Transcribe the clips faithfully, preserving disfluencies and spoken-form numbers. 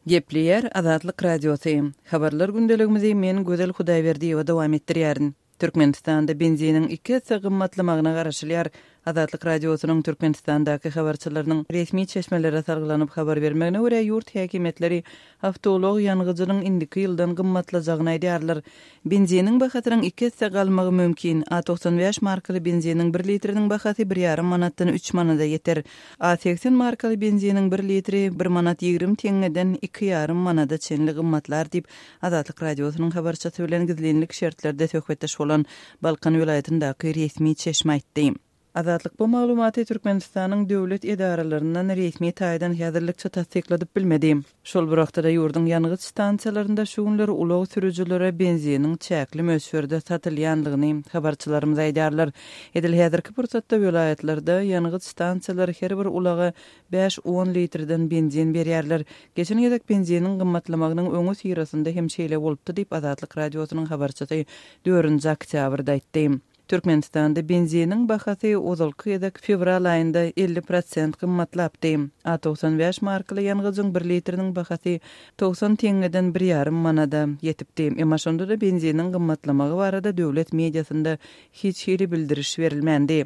Gepleýär Azatlyk Radiosy. Habarlar gündeligimizi men Gözel Hudaýberdiýewa dowam etdirýärin. Türkmenistanda benziniň iki esse gymmatlamagyna garaşylýar. Azatlyk Radiosynyň Türkmenistandaky habarçylarynyň resmi çeşmelere salgylanyp habar bermegine görä, ýurt häkimiýetleri awtoulag ýangyjynyň indiki ýyldan gymmatlajagyny aýdýarlar. Benziniň bahasynyň iki esse galmagy mümkin. A togsan bäş markaly benziniň bir litriniň bahasy bir ýarym manatdan üç manada ýeter. A segsen markaly benziniň bir litri bir manat ýigrimi teňňeden iki ýarym manada çenli gymmatlar diýip, Azatlyk Radiosynyň habarçysy bilen gizlinlik şertlerde söhbetdeş bolan Balkan welaýatyndaky resmi çeşme aýtdy. Azatlyk bu maglumaty Türkmenistanyň döwlet edaralaryndan resmi taýdan häzirlikçe tassykladyp bilmedi. Şol bir wagtda-da ýurduň ýangyç stansiýalarynda şu günler ulag sürüjilere benziniň çäkli möçberde satylýanlygyny habarçylarymyz aýdýarlar. Edil häzirki pursatda welaýatlarda ýangyç stansiýalary her bir ulaga bäş-on litrden benzin berýärler. Geçen gezek benziniň gymmatlamagynyň öňüsyrasynda hem şeýle bolupdy diýip, Azatlyk Radiosynyň habarçysy dördünji oktýabrda aýtdy. Türkmenistanda benziniň bahasy ozalky gezek fewral aýynda elli prosent gymmatlapdy. A togsan bäş markaly ýangyjyň bir litriniň bahasy togsan teňňeden bir ýarym manada ýetipdi. Emma şonda-da benziniň gymmatlamagy barada döwlet mediasynda hiç hili bildiriş berilmändi.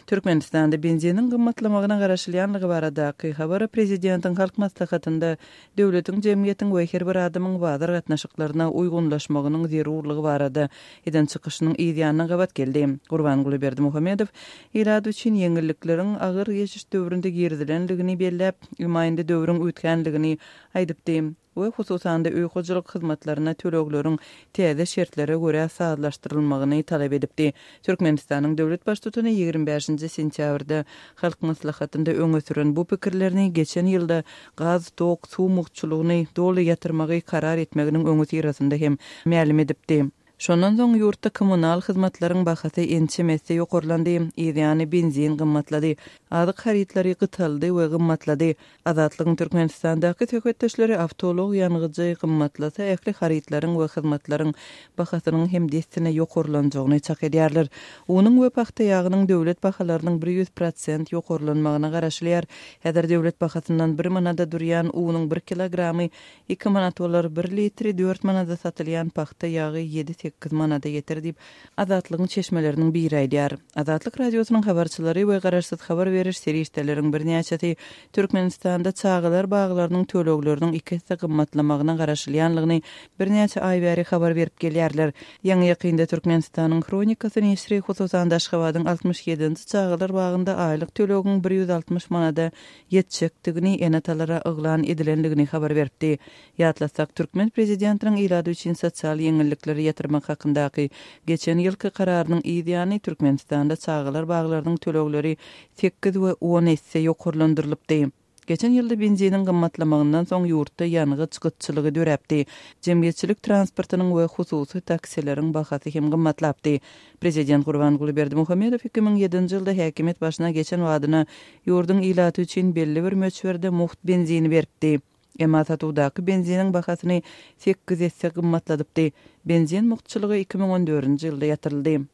Türkmenistanda benziniň gymmatlamagyna garaşylýanlygy baradaky habar prezidentiň Halk Maslahatynda döwletiň, jemgyýetiň we her bir adamyň bazar gatnaşyklaryna uýgunlaşmagynyň zerurlygy barada eden çykyşynyň yz ýanyna gabat geldi. Gurbanguly Berdimuhamedow ilat üçin ýeňillikleriň agyr geçiş döwründe girizilenligini belläp, emma indi döwrüň üýtgänligini aýdypdy we hususan-da öý hojalyk hyzmatlaryna tölegleriň täze şertlere görä sazlaşdyrylmagyny talap edipdi. Türkmenistanyň döwlet baştutany ýigrimi bäşinji sentýabrda Halk Maslahatynda öňe süren bu pikirlerini geçen ýylda gaz, tok, suw mugtçulygyny doly ýatyrmagy karar etmeginiň öňüsyrasynda hem mälim edipdi. Şondan soň ýurtda kommunal hyzmatlaryň bahasy ençeme esse ýokarlandy, yzýany benzin gymmatlady, azyk harytlary gytaldy we gymmatlady. Azatlygyň Türkmenistandaky söhbetdeşleri awtoulag ýangyjy gymmatlasa ähli harytlaryň we hyzmatlaryň bahasynyň hem dessine ýokarlanjagyny çak edýärler. Unuň we pagta ýagynyň döwlet bahalarynyň bir ýüz prosent ýokarlanmagyna garaşylýar. Häzir döwlet bahasyndan bir manada durýan unuň bir kilogramy iki manat bolar, bir litri dört manada satylýan pagta ýagy ýedi-sekiz manada ýeter diýip, Azatlygyň çeşmeleriniň biri aýdýar. Azatlyk Radiosynyň habarçylary we garaşsyz habar beriş serişdeleriň birnäçesi Türkmenistanda çagalar baglarynyň tölegleriniň iki esse gymmatlamagyna garaşylýanlygyny birnäçe aý bäri habar berip gelýärler. Ýaňy-ýakynda Türkmenistanyň Hronikasy neşiri hususan-da Aşgabadyň altmyş ýedinji çagalar bagynda aýlyk tölegiň bir ýüz altmyş manada ýetjekdigini ene-atalara yglan edilenligini habar beripdi. Ýatlatsak, türkmen prezidentiniň ilat üçin sosial ýeňillikleri ýatyrmak hakyndaky geçen ýylky kararynyň yz ýany Türkmenistanda çagalar baglarynyň tölegleri sekiz we on esse ýokarlandyrylypdy. Geçen ýylda benziniň gymmatlamagyndan soň ýurtda ýangyç gytçylygy döräpdi. Jemgyýetçilik transportynyň we hususy taksileriň bahasy hem gymmatlapdy. Prezident Gurbanguly Berdimuhamedow iki müň ýedinji ýylda häkimiýet başyna geçen badyna ýurduň ilaty üçin belli bir möçberde mugt benzini beripdi. Emma satuwdaky benziniň bahasyny sekiz esse gymmatladypdy. Benzin mugtçulygy iki müň on dördünji ýylda ýatyryldy.